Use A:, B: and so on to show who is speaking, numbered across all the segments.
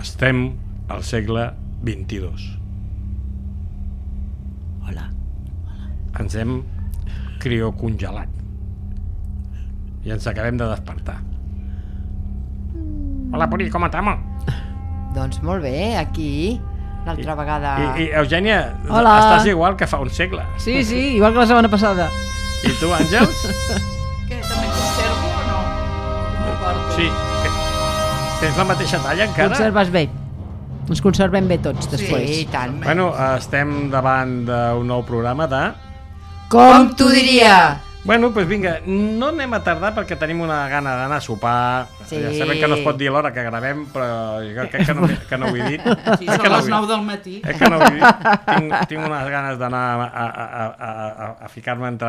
A: Estem al segle XXII.
B: Hola.
A: Ens hem criocongelat i ens acabem de despertar. Hola, Puri, com estamos?
C: Doncs molt bé, aquí, l'altra vegada...
A: I Eugènia,
B: Hola.
A: estàs igual que fa un segle.
B: Sí, igual que la setmana passada.
A: I tu, Àngels?
D: Què, també conservo o no? No porto.
A: Sí. Tens la mateixa talla encara?
B: Conserves bé. Ens conservem bé tots, després.
C: Sí, i tant.
A: Bueno, estem davant d'un nou programa de...
C: Com t'ho diria?
A: Bueno, doncs vinga, no anem a tardar perquè tenim una gana d'anar a sopar.
C: Sí.
A: Ja sabem que no es pot dir l'hora que gravem, però jo crec que no ho he dit.
D: Sí, són les 9 del matí.
A: Que no ho he dit. Tinc unes ganes d'anar a ficar-me entre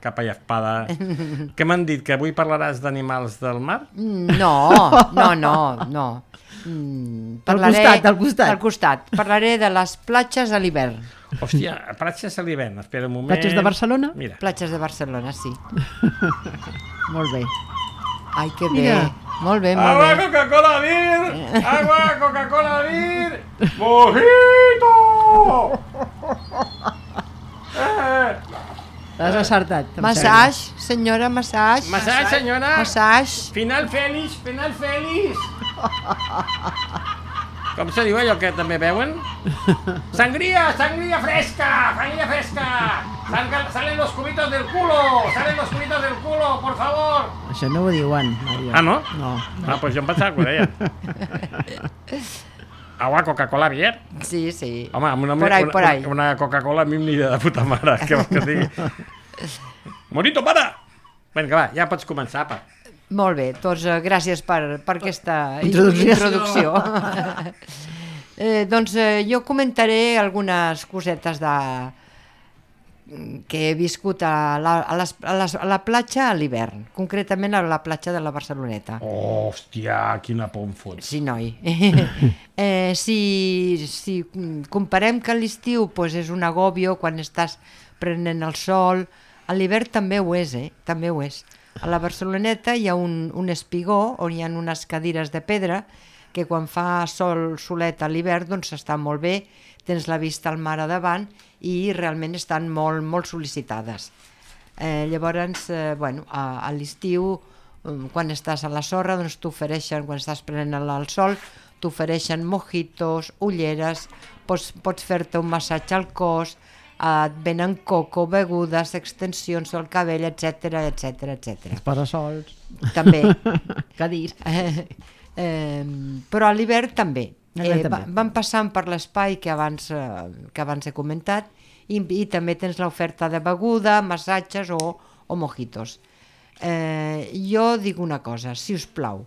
A: capa i espada. Què m'han dit? Que avui parlaràs d'animals del mar?
C: No.
B: Al
C: costat. Parlaré de les platges a l'hivern.
A: Hòstia, platges a l'hivern, espera un moment.
B: Platges de Barcelona?
A: Mira.
C: Platges de Barcelona, sí.
B: Molt bé.
C: Ai, que bé.
B: Mira.
C: Molt bé, molt
A: Agua,
C: bé.
A: Coca-Cola, Vir! Agua, Coca-Cola, Vir! Mojito!
B: L'has acertat. em
C: Massage, senyora, massage.
A: Massage, senyora!
C: Massage.
A: Final feliç, final feliç! Com se diu allò que també veuen? Sangría, sangría fresca, sangría fresca. Salen los cubitos del culo, por favor.
B: sembla. Això no ho diuen. Maria.
A: Ah, no?
B: No.
A: Ah, pues jo em pensava que ho deien. Agua, Coca-Cola, Bier.
C: Sí, sí.
A: Home,
C: Por ahí.
A: una Coca-Cola a mi em aniria de puta mare. Què vols que et digui? Morito, para! Vinga, va, ja pots començar, pa.
C: Molt bé, doncs gràcies per aquesta
B: Introducció.
C: Doncs jo comentaré algunes cosetes que he viscut a la platja a l'hivern, concretament a la platja de la Barceloneta.
A: Oh, hòstia, quina por em fots.
C: Sí, noi. Si comparem que a l'estiu pues, és un agòbio quan estàs prenent el sol, a l'hivern també ho és, també ho és. A la Barceloneta hi ha un espigó on hi ha unes cadires de pedra que quan fa solet a l'hivern doncs està molt bé, tens la vista al mar a davant i realment estan molt, molt sol·licitades. Llavors, a l'estiu, quan estàs a la sorra, doncs t'ofereixen, quan estàs prenent el sol, t'ofereixen mojitos, ulleres, pots fer-te un massatge al cos, et venen coco, begudes, extensions del cabell, etc.
B: Els parasols.
C: També.
B: Cadis.
C: Però a l'hivern també.
B: També.
C: Van passant per l'espai que abans he comentat i també tens l'oferta de beguda, massatges o mojitos. Jo dic una cosa, si us plau,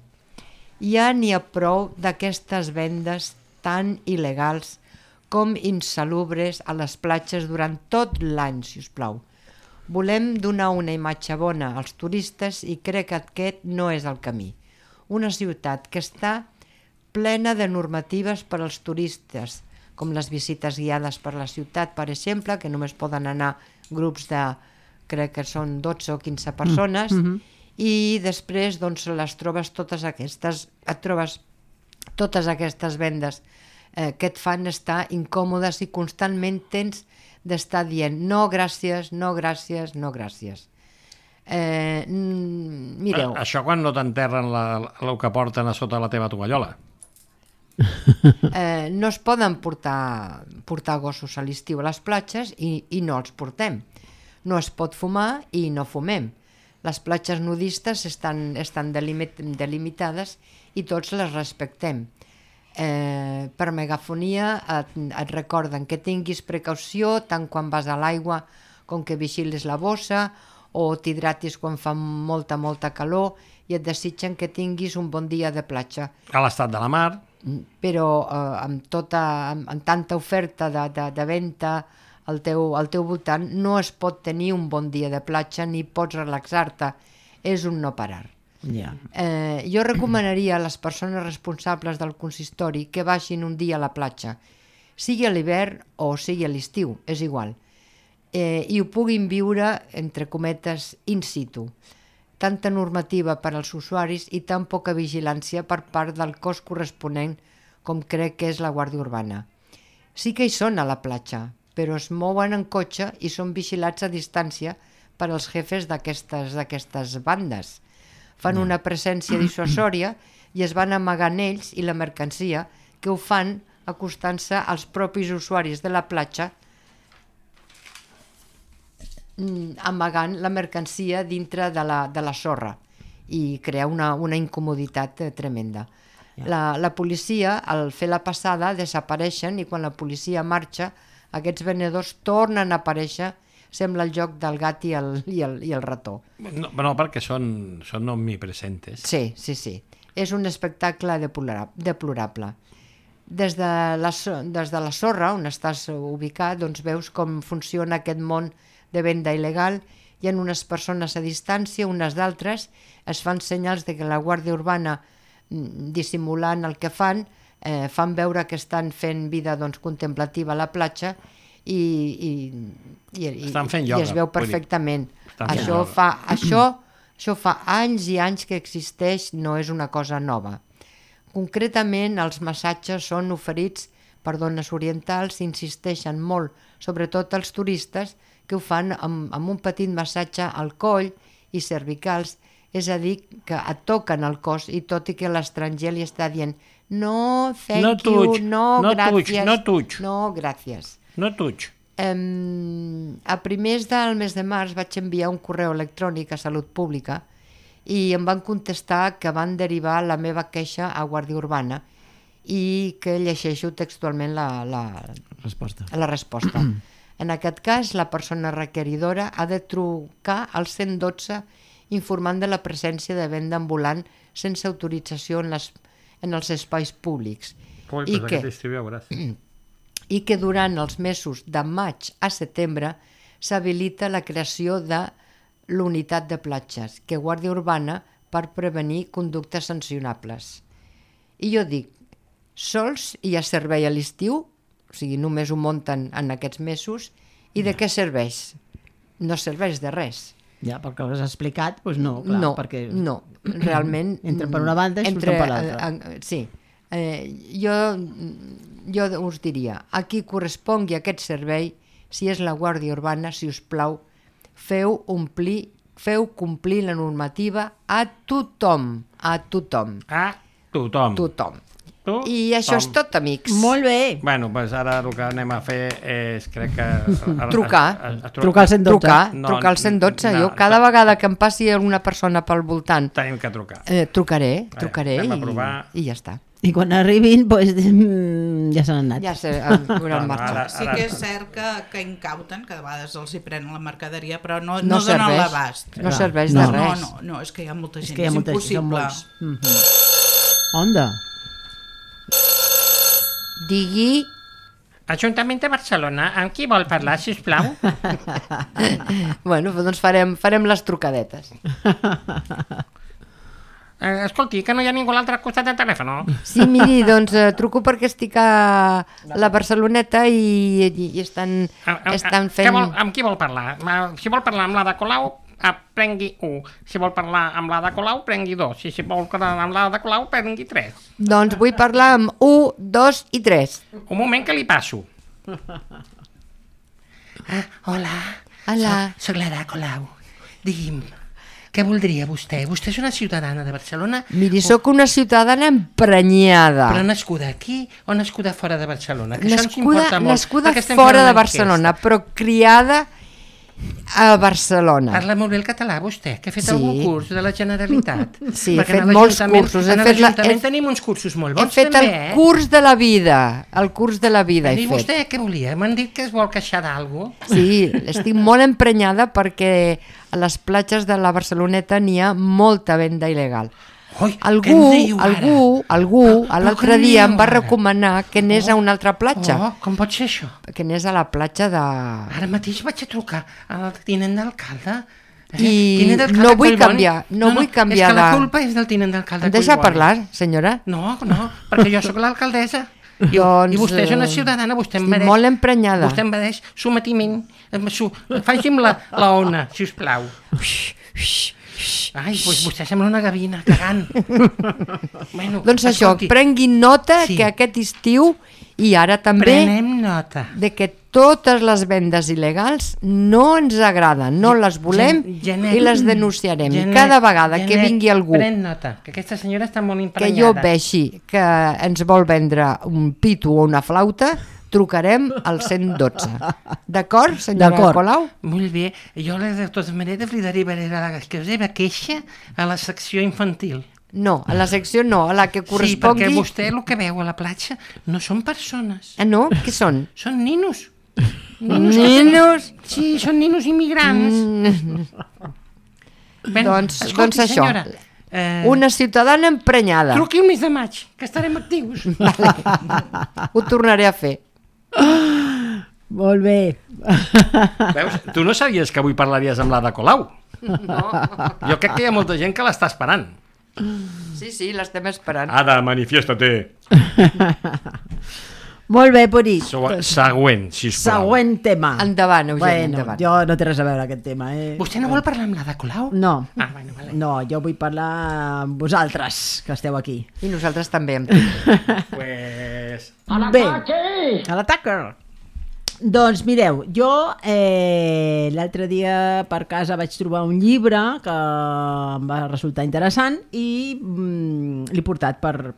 C: ja n'hi ha prou d'aquestes vendes tan il·legals com insalubres a les platges durant tot l'any, si us plau. Volem donar una imatge bona als turistes i crec que aquest no és el camí. Una ciutat que està plena de normatives per als turistes, com les visites guiades per la ciutat, per exemple, que només poden anar grups de, crec que són 12 o 15 persones, i després doncs, et trobes totes aquestes vendes que et fan estar incòmodes i constantment tens d'estar dient no gràcies, no gràcies, no gràcies. Mireu.
A: Això quan no t'enterren el que porten a sota la teva tovallola.
C: No es poden portar gossos a l'estiu a les platges i no els portem. No es pot fumar i no fumem. Les platges nudistes estan delimitades i tots les respectem. Per megafonia et recorden que tinguis precaució tant quan vas a l'aigua com que vigilis la bossa o t'hidratis quan fa molta calor i et desitgen que tinguis un bon dia de platja.
A: A l'estat de la mar.
C: Però amb tanta oferta de venda al teu voltant no es pot tenir un bon dia de platja ni pots relaxar-te, és un no parar.
B: Ja.
C: Jo recomanaria a les persones responsables del consistori que baixin un dia a la platja, sigui a l'hivern o sigui a l'estiu, és igual, i ho puguin viure, entre cometes, in situ. Tanta normativa per als usuaris i tan poca vigilància per part del cos corresponent com crec que és la Guàrdia Urbana. Sí que hi són a la platja, però es mouen en cotxe i són vigilats a distància per als jefes d'aquestes bandes. Fan una presència dissuasòria i es van amagant ells i la mercancia, que ho fan acostant-se als propis usuaris de la platja, amagant la mercancia dintre de la sorra i crear una incomoditat tremenda. La policia, al fer la passada, desapareixen i quan la policia marxa, aquests venedors tornen a aparèixer. Sembla el joc del gat i el rató.
A: No, perquè són omnipresentes.
C: Sí. És un espectacle deplorable. Des de la sorra, on estàs ubicat, doncs veus com funciona aquest món de venda il·legal. Hi ha unes persones a distància, unes d'altres, es fan senyals de que la Guàrdia Urbana, dissimulant el que fan veure que estan fent vida contemplativa a la platja i es veu perfectament. Això fa anys i anys que existeix, no és una cosa nova. Concretament, els massatges són oferits per dones orientals i insisteixen molt, sobretot els turistes, que ho fan amb un petit massatge al coll i cervicals, és a dir, que et toquen el cos i tot i que l'estranger li està dient no, thank you, no, gràcies.
A: No touch.
C: A primers del mes de març vaig enviar un correu electrònic a Salut Pública i em van contestar que van derivar la meva queixa a Guàrdia Urbana i que llegeixo textualment la resposta. En aquest cas, la persona requeridora ha de trucar al 112 informant de la presència de venda ambulant sense autorització en els espais públics. I que durant els mesos de maig a setembre s'habilita la creació de l'unitat de platges, que Guàrdia Urbana per prevenir conductes sancionables. I jo dic, sols hi ha servei a l'estiu, o sigui, només ho munten en aquests mesos, i de què serveix? No serveix de res.
B: Ja, perquè ho has explicat, doncs no, clar.
C: No, realment...
B: Entra per una banda i surten per l'altra.
C: Sí. Jo us diria, a qui correspongui aquest servei, si és la Guàrdia Urbana, si us plau, feu complir la normativa a tothom. I això és tot, amics.
B: Molt bé.
A: Bueno, doncs ara el que anem a fer és, crec que...
C: Trucar al 112. Trucar al 112. Jo cada vegada que em passi alguna persona pel voltant...
A: Tenim que trucar.
C: Trucaré i ja està.
B: I quan arribin, doncs, ja se n'han anat.
C: Ja se hauran marxat.
D: Sí que és cert que incauten, que a vegades els hi prenen la mercaderia, però no donen l'abast.
C: No serveix de res.
D: No, és que hi ha molta gent, és impossible.
B: Onda.
C: Digui...
A: Ajuntament de Barcelona, amb qui vol parlar, sisplau?
C: Bueno, doncs farem les trucadetes.
A: Escolti, que no hi ha ningú a l'altre costat del telèfon.
C: Sí, miri, doncs truco perquè estic a la Barceloneta i estan fent...
A: Amb qui vol parlar? Si vol parlar amb la de Colau, prengui 1. Si vol parlar amb la de Colau, prengui 2. I si vol parlar amb la de Colau, prengui 3.
C: Doncs vull parlar amb 1, 2 i 3.
A: Un moment que li passo. Hola. Soc la de Colau. Digui'm, què voldria vostè? Vostè és una ciutadana de Barcelona?
C: Miri, sóc una ciutadana emprenyada.
A: Però nascuda aquí o nascuda fora de Barcelona? Que això ens importa molt.
C: Nascuda fora de Barcelona, però criada a Barcelona.
A: Parla molt bé el català, vostè, que ha fet algun curs de la Generalitat.
C: Sí, he fet molts cursos.
A: A l'Ajuntament tenim uns cursos molt bons,
C: també. He fet el curs de la vida. El curs de la vida he fet.
A: I vostè què volia? M'han dit que es vol queixar d'algú?
C: Sí, estic molt emprenyada perquè a les platges de la Barceloneta n'hi ha molta venda il·legal. Algú l'altre dia em va recomanar que anés a una altra platja.
A: Com pot ser això?
C: Que anés a la platja de...
A: Ara mateix vaig a trucar al tinent d'alcalde.
C: I no vull canviar
A: És que la culpa és del tinent d'alcalde.
C: Em deixa parlar, senyora?
A: No, perquè jo sóc l'alcaldessa. I vostè és una ciutadana, vostè em mereix...
C: Estic molt emprenyada.
A: Vostè em mereix sometiment. Faci'm la ona, sisplau. Ai, doncs vostè sembla una gavina, cagant. Bueno,
C: doncs això,
A: escolti,
C: prenguin nota
A: Sí.
C: que aquest estiu i ara també
A: prenem nota.
C: de que totes les vendes il·legals no ens agraden, no les volem
A: Janet,
C: i les denunciarem. I
A: Janet,
C: cada vegada que
A: Janet,
C: vingui algú
A: pren nota, que aquesta senyora està molt
C: que
A: imprenyada.
C: jo vegi que ens vol vendre un pitu o una flauta, trucarem al 112. D'acord, senyora
B: D'acord.
C: Colau?
A: Molt bé, jo de totes maneres li derivaré la seva queixa a la secció infantil.
C: No, a la secció no, a la que
A: Sí,
C: correspongui...
A: perquè vostè el que veu a la platja no són persones,
C: Ah, no? Què són?
A: són ninos.
C: Ninos?
A: Sí, són ninos immigrants. Ben,
C: Doncs
A: escolti,
C: això.
A: senyora,
C: Una ciutadana emprenyada.
A: truqui el mes de maig, que estarem actius.
C: Ho tornaré a fer.
B: Molt bé.
A: Veus, tu no sabies que avui parlaries amb l'Ada Colau?
C: No.
A: Jo crec que hi ha molta gent que l'està esperant.
C: Sí, sí, l'estem esperant.
A: Ada, manifiesta-te.
B: Molt bé, Puri.
A: Següent, sisplau.
B: Següent tema.
C: Endavant, Eugeni,
B: Bueno,
C: endavant.
B: jo no té res a veure aquest tema,
A: Vostè no vol parlar amb l'Ada Colau?
B: No.
A: Ah, bueno, vale.
B: No, jo vull parlar amb vosaltres, que esteu aquí.
C: I nosaltres també amb tu.
A: Pues...
B: Bé, a l'ataque! Doncs mireu, jo l'altre dia per casa vaig trobar un llibre que em va resultar interessant i l'he portat per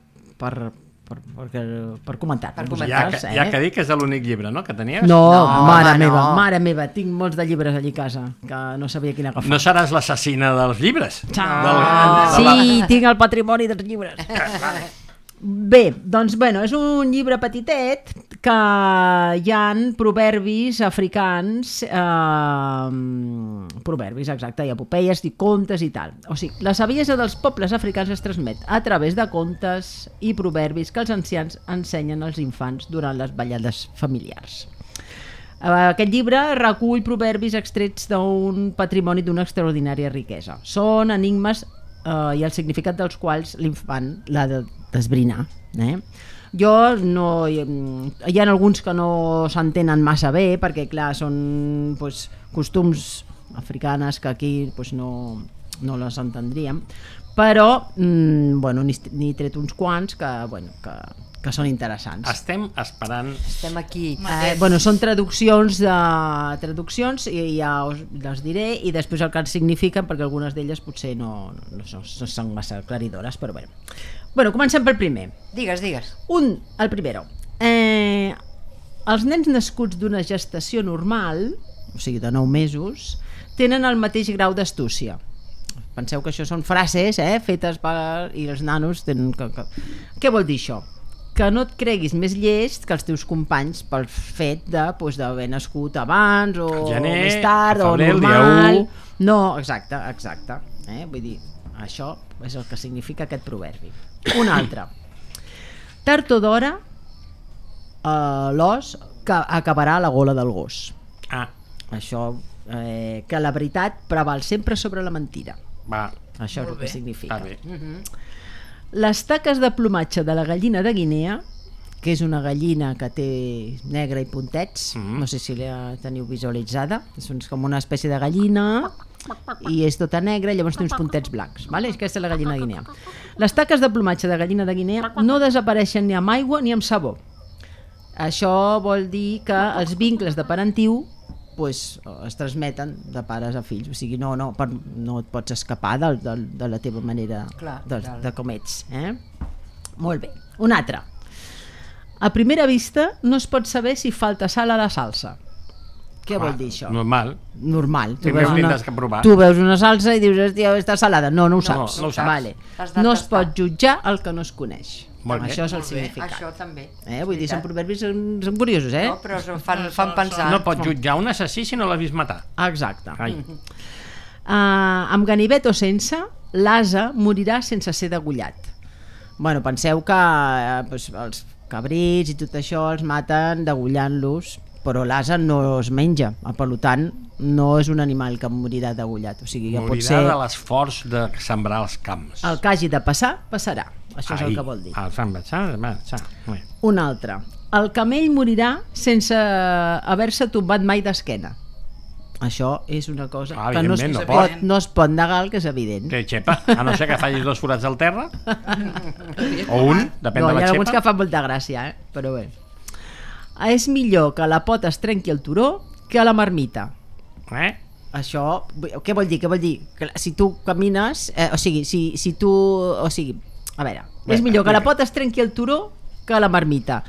B: comentar.
C: Per
B: amb
C: comentar.
B: vosaltres,
A: Ja que dic que és l'únic llibre, no?, que tenies.
B: No,
C: No,
B: mare
C: home,
B: meva,
C: no.
B: mare meva, tinc molts de llibres allí a casa, que no sabia quin agafar.
A: No seràs l'assassina dels llibres?
B: Sí, tinc el patrimoni dels llibres. Bé, doncs bueno, és un llibre petitet que hi han proverbis africans, proverbis, exacte, i epopeies i contes i tal. O sigui, la saviesa dels pobles africans es transmet a través de contes i proverbis que els ancians ensenyen als infants durant les ballades familiars. Aquest llibre recull proverbis extrets d'un patrimoni d'una extraordinària riquesa. Són enigmes i el significat dels quals l'infant l'ha de desbrinar. Jo no... Hi ha alguns que no s'entenen massa bé perquè, clar, són pues, costums africanes que aquí pues, no les entendríem, però bueno, n'he tret uns quants que són interessants.
A: Estem esperant...
C: Estem aquí.
B: Bueno, són traduccions i ja les diré i després el que signifiquen, perquè algunes d'elles potser no són massa claridores, però bé. Bueno, comencem pel primer.
C: Digues.
B: El primero. Els nens nascuts d'una gestació normal, o sigui de 9 mesos, tenen el mateix grau d'astúcia. Penseu que això són frases fetes i els nanos tenen... Què vol dir això? Que no et creguis més llest que els teus companys pel fet d'haver nascut abans o
A: gener,
B: més tard o
A: febrer,
B: normal.
A: dia 1.
B: No, exacte. Vull dir, això és el que significa aquest proverbi. Un altre. Tard o d'hora l'os acabarà a la gola del gos.
A: Ah,
B: Això, que la veritat preval sempre sobre la mentira.
A: va,
B: Això és el que significa.
A: està bé.
B: Les taques de plomatge de la gallina de Guinea, que és una gallina que té negre i puntets, no sé si la teniu visualitzada, és com una espècie de gallina i és tota negra i llavors té uns puntets blancs, vale? Aquesta és la gallina de Guinea. Les taques de plomatge de gallina de Guinea no desapareixen ni amb aigua ni amb sabó. Això vol dir que els vincles de parentiu es transmeten de pares a fills, o sigui, no et pots escapar de la teva manera de com ets. Molt bé. Un altre. A primera vista no es pot saber si falta sal a la salsa. Què vol dir això?
A: Normal.
B: Normal.
A: Primer ho tindràs que provar.
B: Tu veus una salsa i dius, hòstia, està salada. No ho saps.
A: No ho saps.
B: Vale. No es pot jutjar el que no es coneix.
A: Molt bé.
B: Això és el significat.
C: Això també.
B: Vull dir, són proverbis, són curiosos,
C: No, però fan pensar.
A: No pots jutjar un assassí si no l'has vist matar.
B: Exacte.
A: Ai.
B: Amb ganivet o sense, l'ase morirà sense ser degollat. Bueno, penseu que els cabrits i tot això els maten degollant-los, però l'ase no es menja, per tant no és un animal que morirà degollat, o sigui que pot
A: Morirà
B: ser
A: de l'esforç de sembrar els camps.
B: el que hagi de passar, passarà. Això és el que vol dir. Un altre. El camell morirà sense haver-se tombat mai d'esquena. Això és una cosa que
A: evidentment,
B: no es pot negar, el que és evident.
A: Que xepa, a no ser que facis 2 forats al terra o un, depèn de la
B: Hi ha alguns
A: xepa.
B: que fan molta gràcia, però bé. És millor que la pota es trenqui el turó que a la marmita. Això, què vol dir? Que si tu camines, a veure, és millor que la pota es trenqui el turó que a la marmita.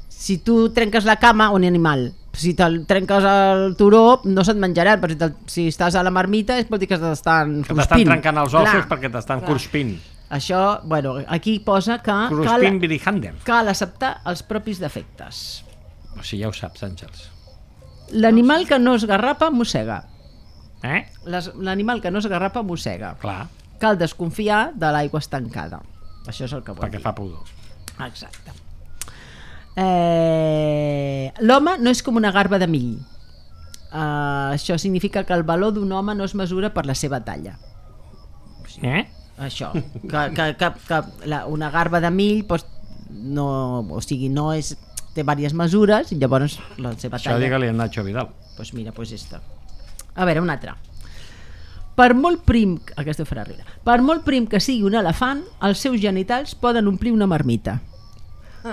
B: Si tu trenques la cama, un animal, si te'l trenques el turó no se't menjaran, però si estàs a la marmita és vol dir que t'estan cruspint.
A: Que t'estan trencant els ossos perquè t'estan cruspint.
B: Això, bueno, aquí posa que cal acceptar els propis defectes.
A: O sigui, ja ho saps, Àngels.
B: L'animal que no es garrapa mossega. L'animal que no es garrapa mossega.
A: Clar.
B: Cal desconfiar de l'aigua estancada. Això és el que vol dir.
A: Perquè fa pudor.
B: Exacte. L'home no és com una garba de mill. Això significa que el valor d'un home no es mesura per la seva talla. Això, que una garba de mill no és, té diverses mesures i llavors la seva talla.
A: Això digue-li a Nacho Vidal.
B: Doncs mira, esta. A veure, una altra. Per molt prim, aquesta farà riure, per molt prim que sigui un elefant, els seus genitals poden omplir una marmita.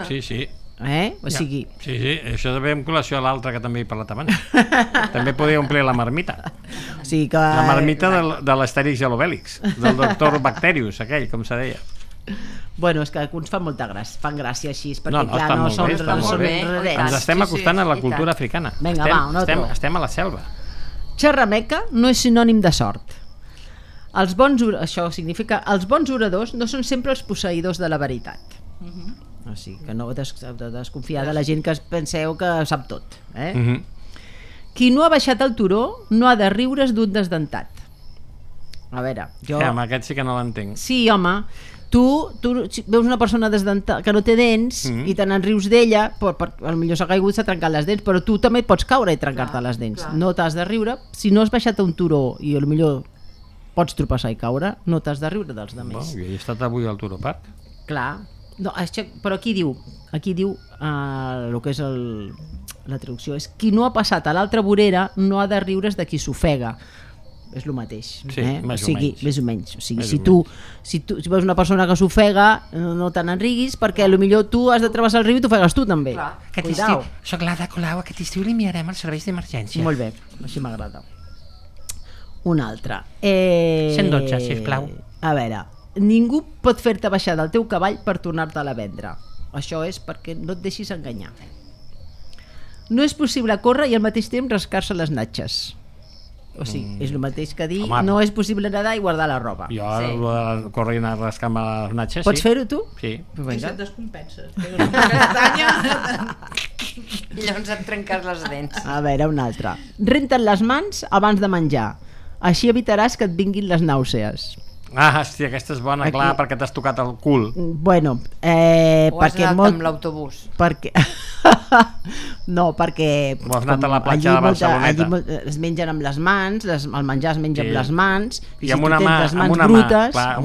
A: Sí.
B: O sigui...
A: Sí, això ve en col·lació a l'altre que també he parlat abans. També podia omplir la marmita.
B: O sigui que...
A: La marmita de l'Astèrix i l'Obèlix, del doctor Bacterius, aquell, com se deia.
B: Bueno, és que alguns fan molta gràcia, així, perquè
A: no, clar, no són
B: redents.
A: Ens estem acostant a la cultura africana.
B: Vinga, va, un altre.
A: Estem a la selva.
B: Xerrameca no és sinònim de sort. Això significa els bons oradors no són sempre els posseïdors de la veritat. O sigui, que no heu de desconfiar de la gent que penseu que sap tot. Qui no ha baixat al turó no ha de riure's d'un desdentat. A veure, jo...
A: Amb aquest sí que no l'entenc.
B: Sí, home, tu veus una persona desdentada que no té dents i te n'enrius d'ella, potser s'ha caigut, s'ha trencat les dents, però tu també pots caure i trencar-te les dents. No t'has de riure. Si no has baixat a un turó i potser pots tropeçar i caure, no t'has de riure dels altres.
A: Jo he estat avui al Turó Park.
B: Clar. No, però aquí diu el que és la traducció és qui no ha passat a l'altra vorera no ha de riure's de qui s'ofega. És el mateix.
A: Sí, més
B: o menys. O sigui, si tu veus una persona que s'ofega, no te n'enriguis, perquè potser tu has de travessar el riu i t'ofegues tu també.
E: Aquest estiu, soc l'Ada Colau, aquest estiu li enviarem els serveis d'emergència.
B: Molt bé, així m'agrada. Un altre.
E: 112, sisplau.
B: A veure, ningú pot fer-te baixar del teu cavall per tornar-te-la a vendre. Això és perquè no et deixis enganyar. No és possible córrer i al mateix temps rascar-se les natxes. O sigui, és el mateix que dir no és possible nedar i guardar la roba.
A: Jo corro i anar rascant-me les natxes.
B: Pots fer-ho tu?
A: Sí.
D: I se't descompenses.
C: I llavors et trenques les dents.
B: A veure, un altre. Renta't les mans abans de menjar. Així evitaràs que et vinguin les nàusees.
A: Hòstia, aquesta és bona, clar, perquè t'has tocat el cul.
B: Bueno,
C: o has anat amb l'autobús.
B: No, perquè
A: o has anat a la platja de Barceloneta.
B: Allí es mengen amb les mans, el menjar es menja amb les mans,
A: i amb una mà, amb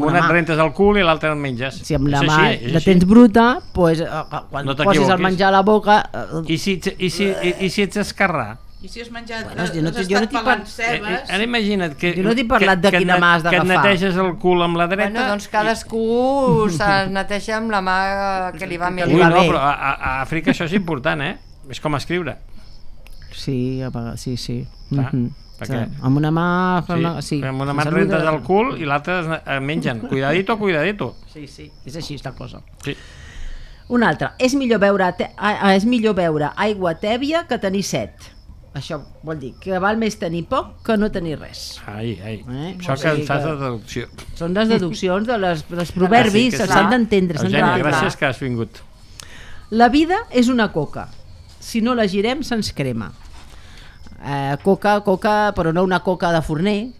A: una et rentes el cul i l'altra et menges.
B: Si amb la mà la tens bruta, quan poses el menjar a la boca...
A: I si ets esquerrà?
D: I si has menjat,
B: jo no
D: estat pelant cebes...
A: Ara imagina't que...
B: Jo no t'he parlat de quina mà has d'agafar.
A: Que et neteges el cul amb la dreta...
C: Bueno, doncs cadascú se'l neteja amb la mà que li va millor.
A: Ui, no, però a Àfrica això és important, És com escriure.
B: Sí, sí.
A: Perquè...
B: Amb una mà...
A: Sí, amb una mà et rentes el cul i l'altra mengen. Cuidadito.
B: Sí, és així la cosa.
A: Sí.
B: Un altre. És millor beure aigua tèbia que tenir set. Això vol dir que val més tenir poc que no tenir res. Això que saps de deducció. Són les deduccions dels proverbis, s'han d'entendre.
A: Eugènia, gràcies que has vingut.
B: La vida és una coca. Si no la girem, se'ns crema. Coca, però no una coca de forner,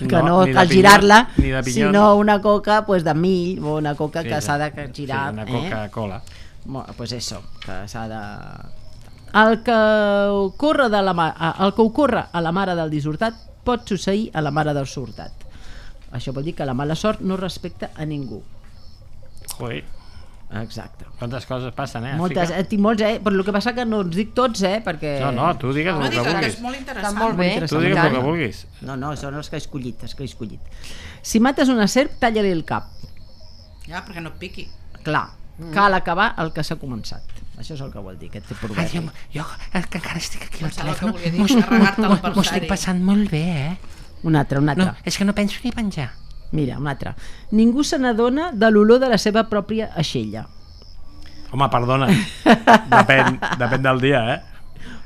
B: que no cal girar-la, sinó una coca de mill o una coca que s'ha de girar.
A: Sí, una Coca-Cola.
B: Pues eso, que s'ha de... El que ocorre a la mare del dissortat pot succeir a la mare del sortat. Això vol dir que la mala sort no respecta a ningú. Exacte.
A: Quantes coses passen,
B: Moltes, tinc molts, però el que passa que no els dic tots, perquè...
A: No, tu digues
D: No
A: el que
D: digues, que
A: vulguis.
D: és molt interessant.
C: Està molt bé.
A: Tu digues el que vulguis.
B: No, són els que he escollit, Si mates una serp, talla-li el cap.
D: Ja, perquè no et piqui.
B: Clar, cal acabar el que s'ha començat. Això és el que vol dir, aquest
E: Ai,
B: proverbi.
E: jo que encara estic aquí al
D: Pensava que
E: telèfon,
D: volia dir carregar-te
E: m'ho estic passant molt bé,
B: Un altre.
E: No, és que no penso ni penjar.
B: Mira, un altre. Ningú se n'adona de l'olor de la seva pròpia aixella.
A: Home, perdona. Depèn del dia,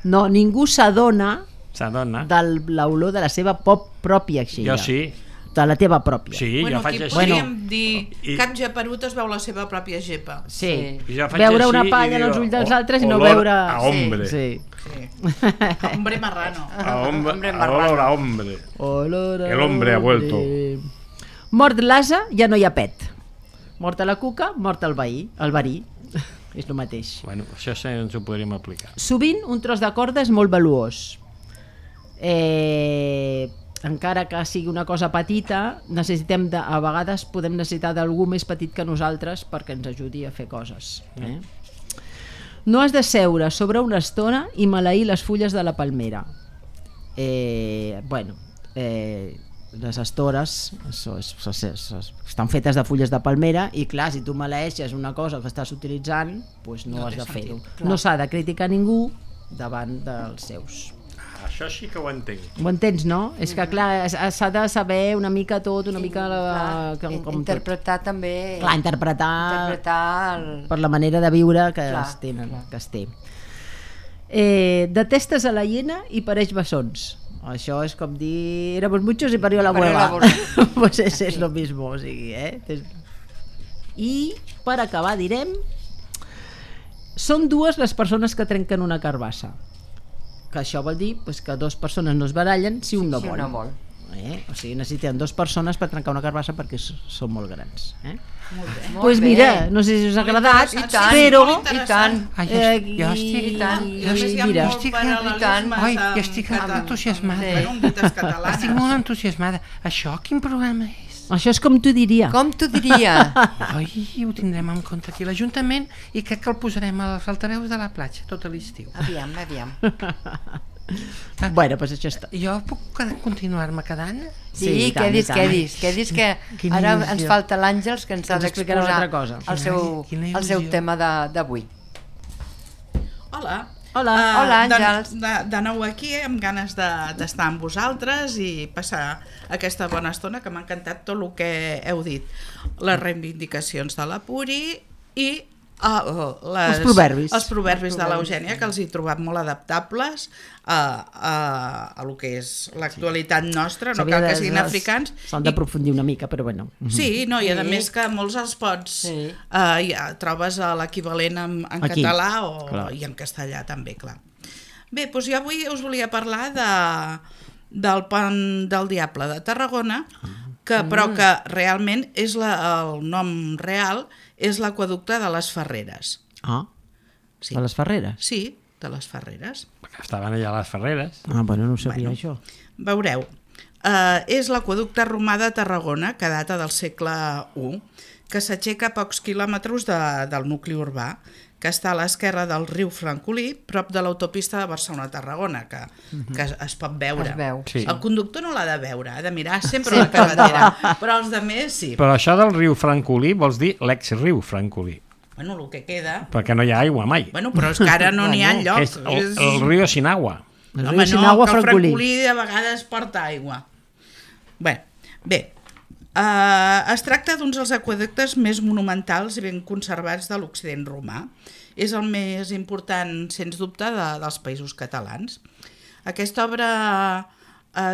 B: No, ningú s'adona
A: S'adona.
B: de l'olor de la seva pròpia aixella.
A: Jo sí.
B: De la teva pròpia.
A: Sí,
D: Bueno,
A: jo faig
D: aquí
A: així.
D: podríem dir
A: I-
D: cap geperut es veu la seva pròpia gepa.
B: Sí.
A: I jo faig
B: Veure
A: així
B: una
A: i
B: palla en
A: dic,
B: els ulls dels altres i no
A: olor
B: veure...
A: a hombre.
B: Sí.
D: Sí. Hombre marrano.
C: Hombre
A: A
C: marrano.
A: olor a hombre.
B: Olor a
A: El hombre ha vuelto.
B: Mort l'asa, ja no hi ha pet. Mort a la cuca, mort el veí. El verí. És el mateix.
A: Bueno, això sí ens ho podríem aplicar.
B: Sovint un tros de corda és molt valuós. Encara que sigui una cosa petita, a vegades podem necessitar d'algú més petit que nosaltres perquè ens ajudi a fer coses. No has de seure sobre una estona i maleir les fulles de la palmera. Les estores estan fetes de fulles de palmera i clar, si tu maleeixes una cosa que estàs utilitzant, doncs no has de fer-ho. No s'ha de criticar ningú davant dels seus.
A: Això sí que ho entenc.
B: Ho entens, no? És que clar, s'ha de saber una mica tot, una mica com
C: interpretar també...
B: Clar, interpretar
C: el...
B: per la manera de viure que
C: Clar,
B: es tenen,
C: clar.
B: que es té. Detestes a la hiena i pareix bessons. Això és com dir éramos muchos y parió la
C: Parió
B: hueva.
C: la abuela.
B: Pues es lo mismo, o sigui, I per acabar direm són dues les persones que trenquen una carbassa. Que això vol dir pues, que dues persones no es barallen si un no vol. O sigui, necessiten dues persones per trencar una carbassa perquè són molt grans.
D: Molt bé.
B: Doncs mira, no sé si us ha agradat,
D: interessant, sí,
B: però...
D: molt interessant.
E: Ai, jo estic...
C: i tant.
D: I a més hi ha
B: mira,
D: molt
E: estic-
D: paral·lelismes
E: Ai,
D: amb
E: jo estic
D: català.
E: entusiasmada.
D: Bueno, amb dites catalanes.
E: Estic molt entusiasmada. Això quin programa és?
B: Això és com t'ho diria.
C: Com t'ho diria?
E: Ai, ho tindrem en compte aquí a l'Ajuntament i crec que el posarem als altaveus de la platja tot l'estiu.
C: Aviam.
B: Bueno, doncs això està.
E: Jo puc continuar-me quedant?
C: Sí,
B: i tant,
C: què
B: i tant.
C: dis que
E: Quina
C: ara
E: il·lusió.
C: ens falta l'Àngels que ens ha
B: Ens explicarà una altra
C: d'exposar
B: cosa.
C: el seu,
E: Quina
C: el seu
E: il·lusió.
C: tema d'avui.
D: Hola.
B: Hola.
C: Hola, Àngels.
D: De nou aquí, amb ganes d'estar amb vosaltres i passar aquesta bona estona, que m'ha encantat tot el que heu dit. Les reivindicacions de la Puri i
B: Els proverbis.
D: Els proverbis de l'Eugènia, que els he trobat molt adaptables a el que és l'actualitat nostra, no cal que siguin africans.
B: S'han d'aprofundir una mica, però bueno.
D: Sí, no, i a més que molts els pots...
C: Sí.
D: Ja trobes l'equivalent en
B: Aquí,
D: català
B: clar.
D: i en castellà també, clar. Bé, doncs jo avui us volia parlar del Pont del Diable de Tarragona, però que realment és el nom real és l'aqüeducte de les Ferreres.
B: Sí. De les Ferreres?
D: Sí, de les Ferreres.
A: Estaven allà a les Ferreres.
B: Bueno, no ho sabia això.
D: Veureu, és l'aqüeducte romà de Tarragona, que data del segle I, que s'aixeca a pocs quilòmetres del nucli urbà, que està a l'esquerra del riu Francolí, prop de l'autopista de Barcelona-Tarragona, que es pot veure.
C: Es veu.
A: Sí.
D: El conductor no l'ha de veure, ha de mirar sempre la carretera, però els altres sí.
A: Però això del riu Francolí vols dir l'ex-riu Francolí,
D: Bueno, el que queda...
A: perquè no hi ha aigua mai.
D: Bueno, però és que ara no n'hi ha enlloc.
A: És el riu sin agua.
B: El
D: Home,
B: riu sin
D: no,
B: agua,
D: que el
B: Francolí.
D: Francolí de vegades porta aigua. Bé, es tracta d'un dels aqüeductes més monumentals i ben conservats de l'Occident romà. És el més important, sens dubte, dels països catalans. Aquesta obra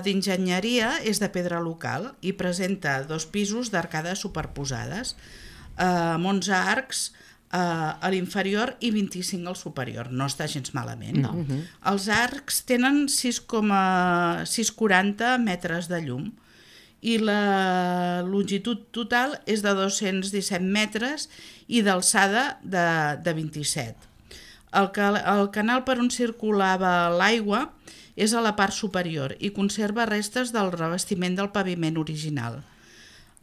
D: d'enginyeria és de pedra local i presenta 2 pisos d'arcades superposades, amb 11 arcs a l'inferior i 25 al superior. No està gens malament. No. Els arcs tenen 6,40 metres de llum i la longitud total és de 217 metres i d'alçada de 27. El canal per on circulava l'aigua és a la part superior i conserva restes del revestiment del paviment original.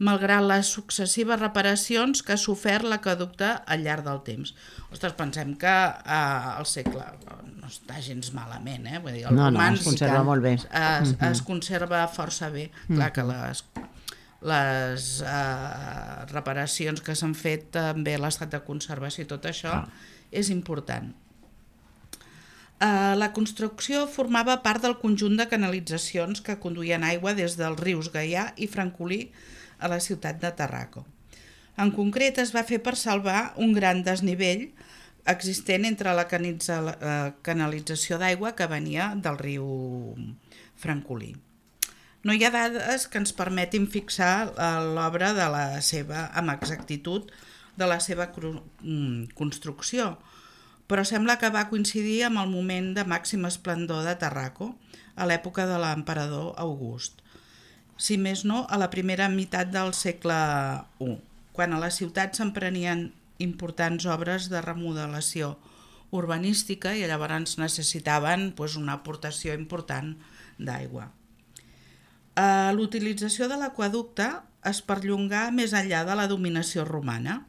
D: malgrat les successives reparacions que ha sofert l'aqüeducte al llarg del temps. Ostres, pensem que el segle no està gens malament, vull dir,
B: No, es conserva molt bé.
D: Es conserva força bé. Clar que les reparacions que s'han fet, també l'estat de conservació i tot això és important. La construcció formava part del conjunt de canalitzacions que conduïen aigua des dels rius Gaià i Francolí a la ciutat de Tarraco. En concret, es va fer per salvar un gran desnivell existent entre la canalització d'aigua que venia del riu Francolí. No hi ha dades que ens permetin fixar l'obra amb exactitud de la seva construcció, però sembla que va coincidir amb el moment de màxim esplendor de Tarraco, a l'època de l'emperador August. Si més no, a la primera meitat del segle I, quan a la ciutat s'emprenien importants obres de remodelació urbanística i llavors necessitaven una aportació important d'aigua. L'utilització de l'aqüeducte es perllongà més enllà de la dominació romana.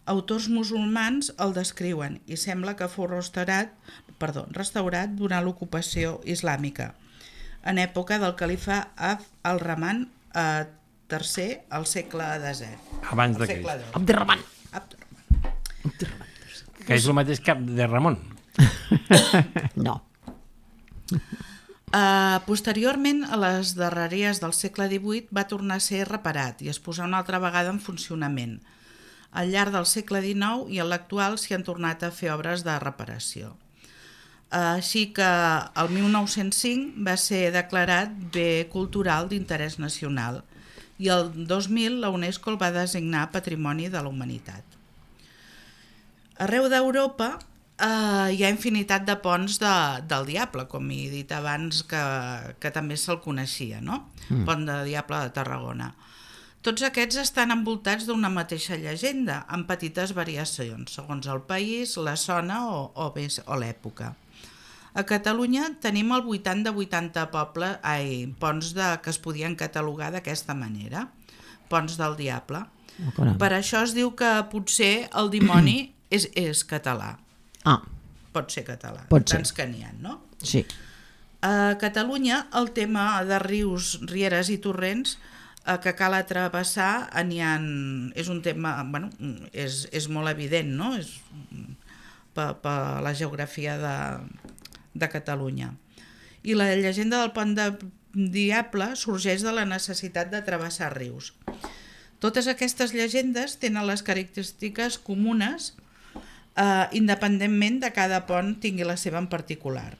D: Autors musulmans el descriuen i sembla que fou restaurat durant l'ocupació islàmica, en època del califa al-Rahman III al segle X.
A: Abans de Crist.
B: Abderrahman.
A: Que és el mateix que Abderramon.
B: No.
D: Posteriorment, a les darreries del segle XVIII va tornar a ser reparat i es posà una altra vegada en funcionament. Al llarg del segle XIX i en l'actual s'hi han tornat a fer obres de reparació. Així que el 1905 va ser declarat bé cultural d'interès nacional i el 2000 la UNESCO el va designar Patrimoni de la Humanitat. Arreu d'Europa hi ha infinitat de ponts del Diable, com he dit abans que també se'l coneixia, no? Pont de Diable de Tarragona. Tots aquests estan envoltats d'una mateixa llegenda, amb petites variacions, segons el país, la zona o l'època. A Catalunya tenim al voltant de 80 ponts que es podien catalogar d'aquesta manera, ponts del Diable. Per això es diu que potser el dimoni és català. Pot ser català, tants que n'hi ha, no?
B: Sí.
D: A Catalunya el tema de rius, rieres i torrents que cal travessar és un tema, és molt evident, no? Per la geografia de Catalunya. I la llegenda del pont de Diable sorgeix de la necessitat de travessar rius. Totes aquestes llegendes tenen les característiques comunes independentment de cada pont tingui la seva en particular.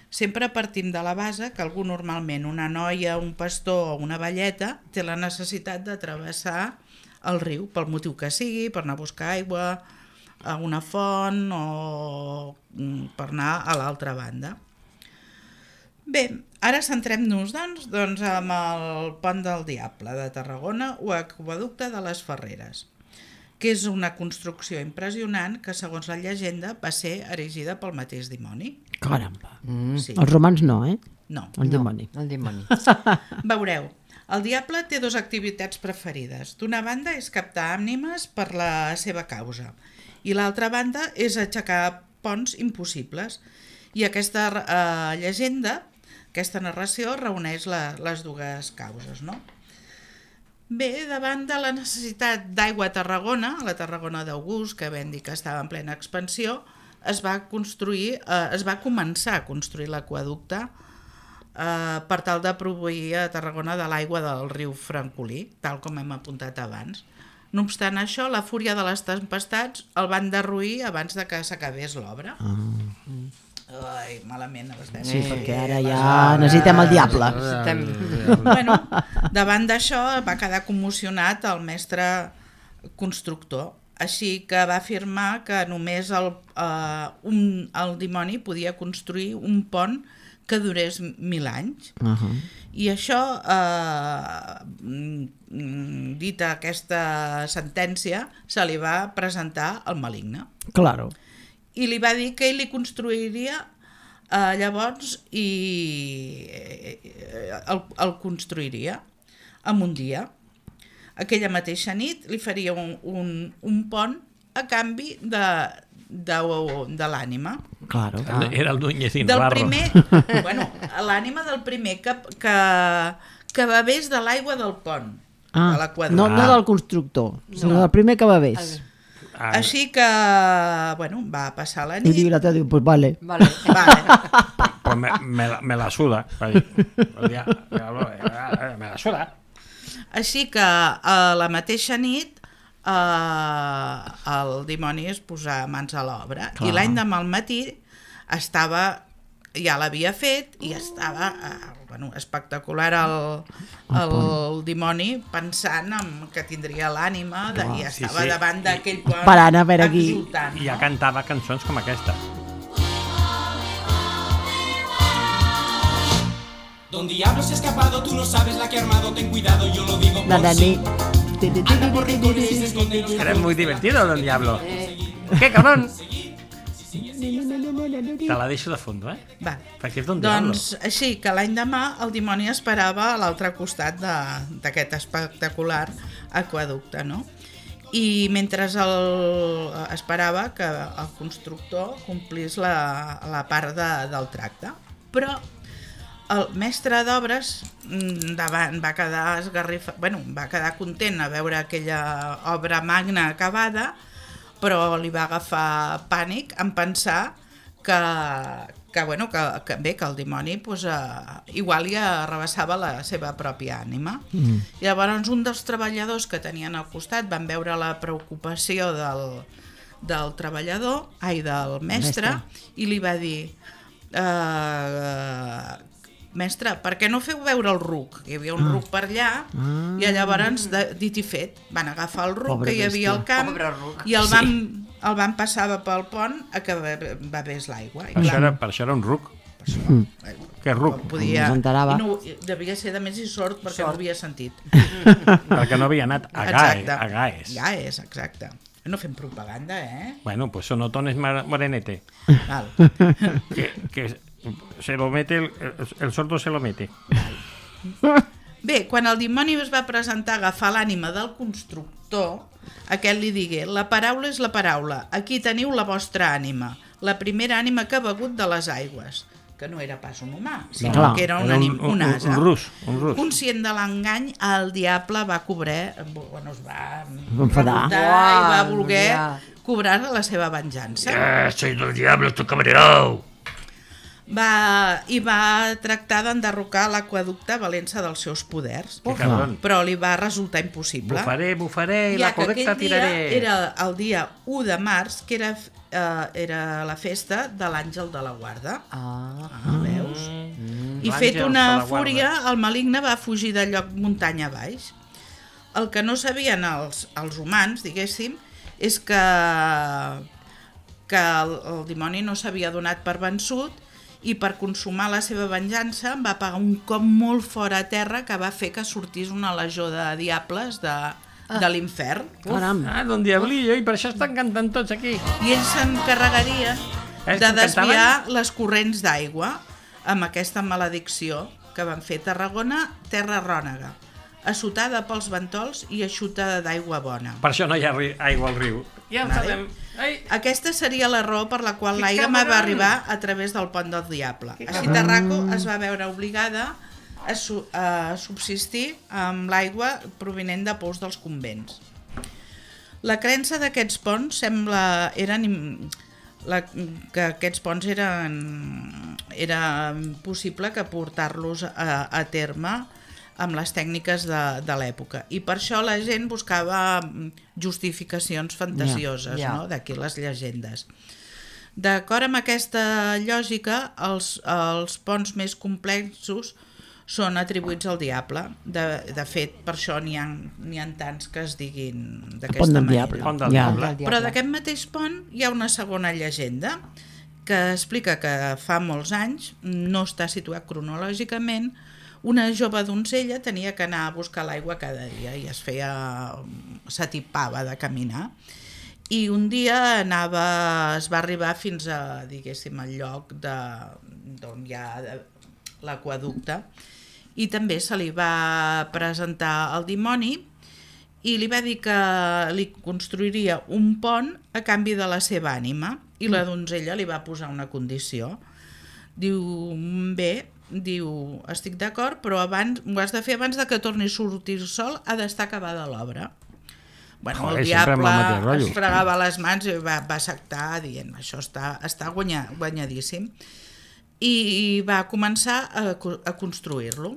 D: Sempre partim de la base que algú normalment, una noia, un pastor o una velleta, té la necessitat de travessar el riu, pel motiu que sigui, per anar a buscar aigua a una font o per anar a l'altra banda. Bé, ara centrem-nos doncs amb el Pont del Diable de Tarragona o Aqüeducte de les Ferreres, que és una construcció impressionant que, segons la llegenda, va ser erigida pel mateix dimoni.
B: Caramba.
D: Sí.
B: Els romans no,
D: No.
B: El dimoni.
C: El dimoni.
D: Veureu, el diable té dues activitats preferides. D'una banda és captar ànimes per la seva causa i l'altra banda és aixecar ponts impossibles. I aquesta llegenda, aquesta narració, reuneix les dues causes, no? Bé, davant de la necessitat d'aigua a Tarragona, a la Tarragona d'August, que vam dir que estava en plena expansió, es va començar a construir l'aqüeducte per tal de proveir a Tarragona de l'aigua del riu Francolí, tal com hem apuntat abans. No obstant això, la fúria de les tempestats el van derruir abans de que s'acabés l'obra. Ai, malament.
B: Sí, perquè ara ja necessitem el diable.
D: Bueno, davant d'això va quedar commocionat el mestre constructor, així que va afirmar que només el dimoni podia construir un pont que durés 1000 anys. I això, dita aquesta sentència, se li va presentar al maligne.
B: Claro.
D: I li va dir que ell li construiria llavors i el construiria en un dia. aquella mateixa nit li faria un pont a canvi de l'ànima.
B: Claro.
A: Era el Núñez i
D: Del
A: Navarro.
D: primer, l'ànima del primer que bevés de l'aigua del pont, de l'aqüeducte.
B: No del constructor, sinó del primer que bevés.
D: Així que, va passar la
B: I
D: nit.
B: l'altre diu, pues vale.
C: Vale.
A: Pues me la suda. Va dir, me la suda.
D: Així que a la mateixa nit el dimoni es posa mans a l'obra i l'endemà al matí ja l'havia fet i estava espectacular el dimoni pensant que tindria l'ànima i estava davant d'aquell pont
B: Parant a veure aquí.
D: exultant.
A: I ja cantava cançons com aquesta.
F: Don Diablo se ha escapado, tú no sabes la que ha armado, ten cuidado, yo lo digo por sí. Anda por rincones y se esconde en los
A: Era muy divertido, Don Diablo. ¡Qué cabrón! Te la deixo de fondo,
D: Va.
A: Perquè és Don Diablo.
D: Doncs així que l'any demà el dimoni esperava a l'altre costat d'aquest espectacular aqueducte, no? I mentre esperava que el constructor complís la part del tracte. Però el mestre d'obres va quedar va quedar content a veure aquella obra magna acabada, però li va agafar pànic en pensar que el dimoni igual li arrabassava la seva pròpia ànima. Llavors un dels treballadors que tenien al costat van veure la preocupació del treballador, del mestre, i li va dir mestre, per què no feu veure el ruc? Hi havia un ruc per allà i llavors, dit i fet, van agafar el ruc que hi havia al camp i el van passar pel pont a que bevés l'aigua.
A: Per això era un ruc. Què ruc?
D: Devia ser de més i sort perquè no havia sentit.
A: Perquè no havia anat a Gaes.
D: Gaes, exacte. No fem propaganda,
A: Bueno, pues Sonotón es morenete.
D: Val.
A: Que se lo mete, el sordo se lo mete.
D: Bé, quan el dimoni es va presentar a agafar l'ànima del constructor, aquest li digué: la paraula és la paraula, aquí teniu la vostra ànima, la primera ànima que ha begut de les aigües, que no era pas un humà, sinó que era un ase.
A: Un rus.
D: Conscient de l'engany, el diable va es va
B: enfadar
D: i va voler cobrar la seva venjança.
A: Soy del diablo, estoy cabreado.
D: I va tractar d'enderrocar l'aqüeducte valent-se dels seus poders, però li va resultar impossible.
A: Bufaré i l'aqüeducte tiraré.
D: Era el dia 1 de març, que era la festa de l'Àngel de la Guarda. Veus? I fet una fúria, el maligne va fugir del lloc muntanya baix. El que no sabien els humans, diguéssim, és que el dimoni no s'havia donat per vençut i per consumar la seva venjança va pagar un cop molt fora a terra que va fer que sortís una legió de diables de l'infern.
A: Don Diablillo, i per això estan cantant tots aquí.
D: I ells s'encarregarien de desviar les corrents d'aigua amb aquesta maledicció que van fer Tarragona, terra rònega, assotada pels ventols i eixutada d'aigua bona.
A: Per això no hi ha aigua al riu. Ja ho sabem.
D: Aquesta seria la raó per la qual l'aigua va arribar a través del pont del diable. Així Tarraco es va veure obligada a subsistir amb l'aigua provinent de pous dels convents. La creença d'aquests ponts que aquests ponts era possible que portar-los a terme amb les tècniques de l'època. I per això la gent buscava justificacions fantasioses, no? D'aquí les llegendes. D'acord amb aquesta lògica, els ponts més complexos són atribuïts al diable. De fet, per això n'hi ha tants que es diguin d'aquesta manera.
A: Pont del diable.
D: Però d'aquest mateix pont hi ha una segona llegenda que explica que fa molts anys, no està situat cronològicament, una jove donzella tenia que anar a buscar l'aigua cada dia i s'atipava de caminar. I un dia es va arribar fins a, diguéssim, al lloc d'on hi ha l'aqüeducte i també se li va presentar el dimoni i li va dir que li construiria un pont a canvi de la seva ànima, i la donzella li va posar una condició. Diu, bé, diu, estic d'acord, però abans, ho has de fer abans de que torni a sortir el sol, ha d'estar acabada l'obra. Bueno, el diable es fregava les mans i va acceptar dient, això està guanyadíssim. I va començar a construir-lo.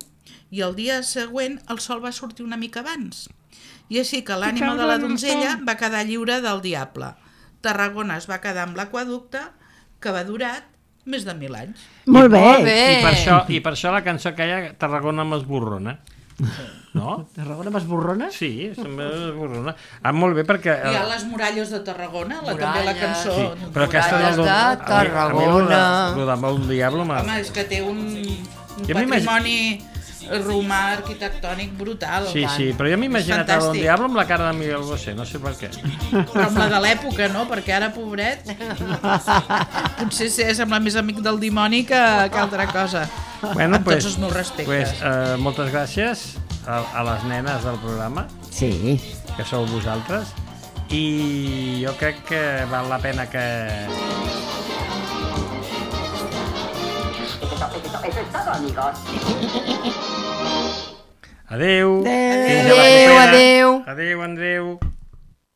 D: I el dia següent el sol va sortir una mica abans. I així que l'ànima de la donzella va quedar lliure del diable. Tarragona es va quedar amb l'aqueducte, que va durar més de 1.000 anys.
B: Molt bé.
A: I per això la cançó que hi ha, Tarragona m'esborrona. No?
B: Tarragona m'esborrona?
A: Sí, m'esborrona. Molt bé perquè...
D: Hi ha les muralles de Tarragona, també la cançó.
A: Sí, però aquesta
C: Muralles de Tarragona.
A: El del diable...
D: Home, és que té un patrimoni romà arquitectònic brutal.
A: Sí, però jo m'he imaginat el diable amb la cara de Miguel Bosé, no sé per què.
D: Però amb la de l'època, no? Perquè ara, pobret, potser sembla més amic del dimoni que altra cosa.
A: Bueno,
D: amb tots els meus respectes.
A: Moltes gràcies a les nenes del programa,
B: Sí.
A: que sou vosaltres, i jo crec que val la pena que...
G: Eso es todo, amigos.
A: Adéu.
B: Adéu, adéu.
A: Adéu, Andreu.